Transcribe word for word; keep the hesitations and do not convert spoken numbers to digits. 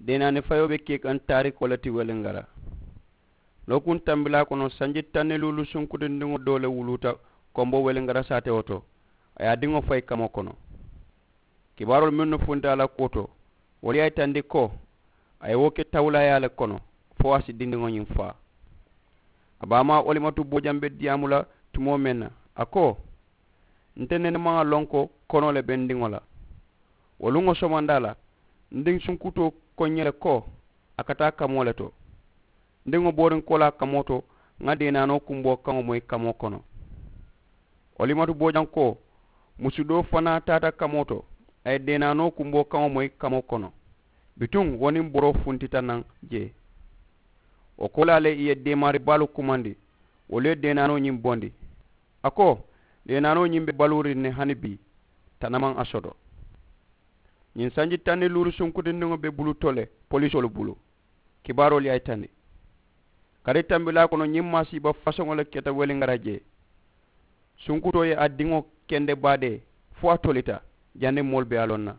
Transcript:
Deenaani fayoo be kee kaŋ taarikoo le ti weliŋara. Lookuŋ tambilaa kono sanji taŋ ni luulu sunkutindiŋo doo le wuluuta, kombo weliŋara saatewo to. A ye a diŋo fayi kamoo kono. Kibaaroolu mennu funti a la kuwo to, wolu ye a yitandi ko a ye wo ke tawulaayaa le kono, fo a si dindiŋo ñiŋ faa. A baamaa olimatu boojaŋ be diyaamu la tumoo meŋ na, a ko, nte nene maŋ a loŋ ko konoo le be n diŋo la. Wo luŋo somandaa la, n diŋ sunkutoo ko n ye le ko a ka taa kamoo le to. N diŋo booriŋ koolaa kamoo to, ŋa deenaanoo kumboo kaŋo moyi kamoo kono. Olimatu boojaŋ ko, musu doo fanaa taata kamoo to, a ye deenaanoo kumboo kaŋo moyi kamoo kono. Bituŋ wo niŋ boroo funtita naŋ jee. Wo koolaa le i ye deemaari baalu kumandi, wolu ye deenaanoo ñiŋ bondi. A ko, deenaanoo ñiŋ be baluuriŋ ne hani bii, tana maŋ a soto. Ñiŋ sanji taŋ ni luulu sunkutindiŋo be bulu to le polisoolu bulu. Kibaaroolu ye a yitandi. Kari tambilaa kono ñiŋ maasiiba fasoŋo le keta weliŋara jee. Sunkutoo ye a diŋo kende baadee, fo a tolita, janniŋ moolu be a loŋ na.